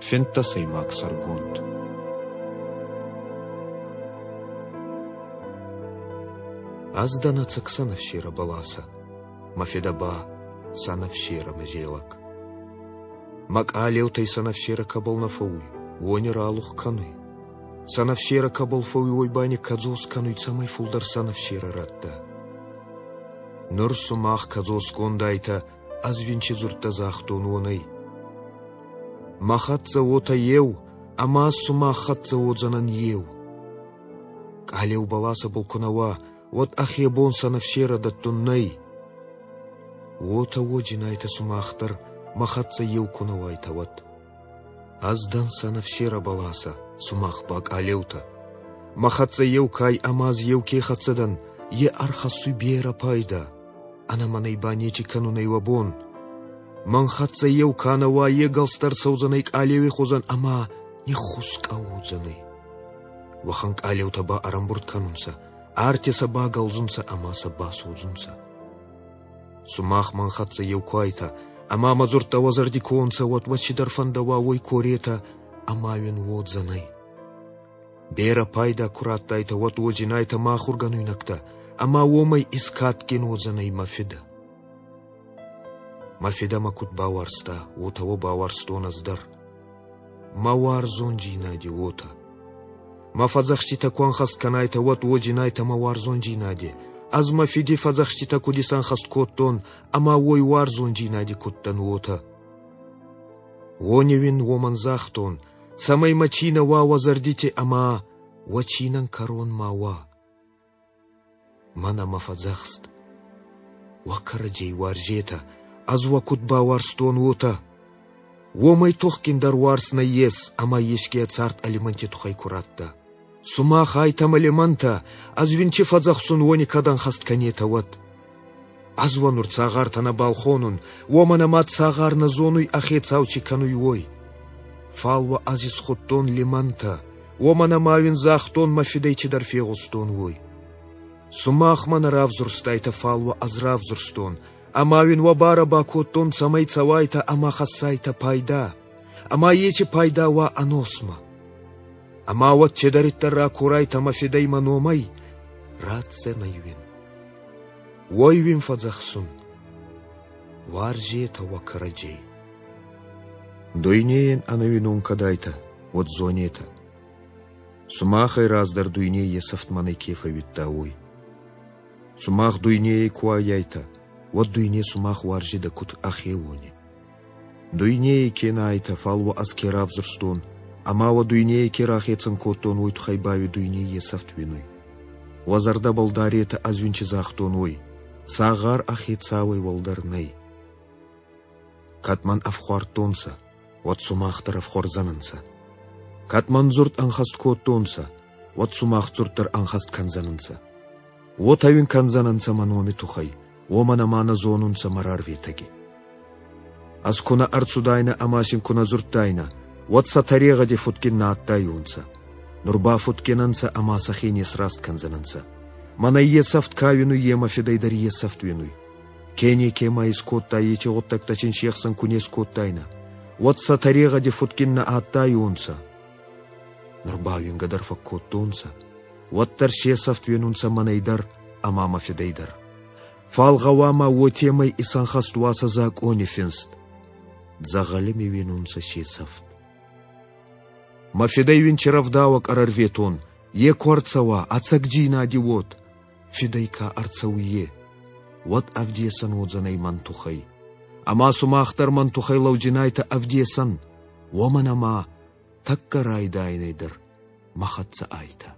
Финддӕсӕймаг сӕргонд. Ӕз дӕн ӕцӕг сӕнӕфсирӕ бӕласӕ, мӕ фидӕ ба сӕнӕфсирӕмӕ зелӕг. Мӕ къалеутӕй сӕнӕфсирӕ кӕбӕл нӕ фӕууй, уони ралух кӕнуй. Сӕнӕфсирӕ кӕбӕл фӕууй, уой ба никкӕдзос кӕнуй, цӕмӕй фулдӕр сӕнӕфсирӕ радта. Нур сумах кӕдзосгонд айтӕ, ӕз уин ци дзурдтӕ загътон, уонӕй. Мӕ хӕццӕ уотӕ еу, ӕма сумах хӕццӕ уодзӕнӕн еу. Къалеу бӕласӕбӕл ку нӕ уа, уӕд ӕхе бон сӕнӕфсерӕ дӕттун нӕй. Уотӕ уоджинайтӕ сумах дӕр, мӕ хӕццӕ еу ку нӕ уайтӕ, уӕд. Ӕз дӕн сӕнӕфсерӕ бӕласӕ, сумах ба къалеутӕ. Мӕ хӕццӕ еу кай ӕма ӕз еу ке хӕццӕ дӕн, е ӕрхӕссуй берӕ пайда. Ӕнӕ мӕнӕй ба нечи кӕнун ӕй уӕ бон. Мӕн хӕццӕ еу ка нӕ уа, е гӕлст ӕрцӕудзӕнӕй къалеуи хузӕн ӕма ниххускъӕ уодзӕнӕй. Уӕхӕн къалеутӕ ба ӕрӕмбурд кӕнунцӕ, арти сӕ багӕлдзунцӕ ӕма сӕ басодзунцӕ. Сумах мӕн хӕццӕ еу ку айтӕ, ӕма мӕ дзурдтӕ уӕ зӕрди ку уонцӕ, уӕд уӕ цидӕр фӕндӕуа, уой коретӕ ӕма уин уодзӕнӕй. Берӕ пайда ку раттайтӕ, уӕд уодзинайтӕ мӕ ахургӕнуйнӕгтӕ, ӕма уомӕй искадгин уодзӕнӕй мӕ Фидӕ. Мӕ Фидӕ мӕ куд бауарзта, уотӕ уӕ бауарзтон ӕз дӕр. Мӕ уарзондзийнади уотӕ. Мӕ фӕдзӕхститӕ ку ӕнхӕст кӕнайтӕ, уӕд уодзинайтӕ мӕ уарзондзийнади. Ӕз мӕ Фиди фӕдзӕхститӕ куд исӕнхӕст кодтон ӕма уой уарзондзийнади куд дӕн, уотӕ. Уони уин уомӕн загътон, цӕмӕй мӕ цийнӕ уа уӕ зӕрдити ӕма уӕ цийнӕн кӕрон ма уа. Мӕнӕ мӕ фӕдзӕхст. Уӕ кӕрӕдзей уарзетӕ, ӕз уӕ куд бауарзтон, уотӕ. Уомӕй тухгиндӕр уарз нӕййес ӕма еске ӕ цард алиманти туххӕй ку радта. Сумах айтӕ мӕ лимӕнтӕ, ӕз уин ци фӕдзӕхсун, уони кӕд ӕнхӕст кӕнетӕ, уӕд. Ӕз уӕ нур цагъартӕ нӕбал хонун, уомӕн ӕма цагъар нӕ зонуй, ӕ хецау ци кӕнуй, уой. Фал уӕ ӕз исхудтон лимӕнтӕ, уомӕн ӕма уин загътон, мӕ фидӕй цидӕр фегъустон, уой. Сумах мӕ нӕ равзурстайтӕ, фал уӕ ӕз равзурстон, ӕма уин уӕ барӕ бакодтон, цӕмӕй цӕуайтӕ ӕма хӕссайтӕ пайда, ӕма еци пайда уа ӕносмӕ. Ӕма уӕд цидӕриддӕр ракорайтӕ мӕ фидӕй мӕ номӕй, ратдзӕнӕй уин. Уой уин фӕдзӕхсун, уарзетӕ уӕ кӕрӕдзей. Дуйнейӕн ӕнӕуинон кӕд айтӕ, уӕд зонетӕ. Сумахӕй раздӕр дуйней есӕфт мӕнӕй ке фӕууидта, уой. Сумах дуйнейӕй ку аййайтӕ, уӕд дуйне сумах уарзидӕ куд ӕхеуони. Дуйнейӕй ке нӕ айтӕ, фал уӕ ӕз ке равзурстон, ӕма уӕ дуйнейӕй ке рахецӕн кодтон, уой туххӕй ба уи дуйней есӕфт уинуй. Уӕ зӕрдӕбӕл даретӕ, ӕз уин ци загътон, уой: цагъар ӕ хецауӕй уӕлдӕр нӕй. Кӕд мӕн ӕфхуардтонцӕ, уӕд сумах дӕр ӕфхуӕрдзӕнӕнцӕ. Кӕд мӕн дзурд ӕнхӕст кодтонцӕ, уӕд сумах дзурд дӕр ӕнхӕст кӕндзӕнӕнцӕ. Уотӕ уин кӕндзӕнӕнцӕ мӕ номи туххӕй, уомӕн ӕма нӕ зонунцӕ мӕ рарветӕги. Ӕз ку нӕ ӕрцудайнӕ ӕма син ку нӕ дзурдтайнӕ, уӕд сӕ тӕрегъӕди фудгин нӕ адтайуонцӕ. Нур ба фудгин ӕнцӕ ӕма сӕхе не сраст кӕндзӕнӕнцӕ. Мӕнӕй есӕфт ка уинуй, е мӕ фидӕй дӕр есӕфт уинуй. Ке неке ма искодта, еци гъуддӕгтӕ син се хсӕн ку не скодтайнӕ, уӕд сӕ тӕрегъӕди фудгин нӕ адтайуонцӕ. Нур ба уингӕ дӕр фӕккодтонцӕ, уӕддӕр се сӕфт уинунцӕ мӕнӕй дӕр ӕма мӕ фидӕй дӕр. Фал гъӕуама уотемӕй исӕнхӕст уа сӕ закъони финст. Дзӕгъӕли ми уинунцӕ се сӕфт. Мӕ фидӕй уин чи рӕвдауӕг ӕрӕрветон, е ку ӕрцӕуа, ӕцӕгдзийнади уод, фидӕй ка ӕрцӕуй, е, уӕд ӕвдесӕн уодзӕнӕй мӕн туххӕй. Ӕма сумах дӕр мӕн туххӕй лӕудзинайтӕ ӕвдесӕн, уомӕн ӕма тӕккӕ райдайӕнӕй дӕр мӕ хӕццӕ айтӕ.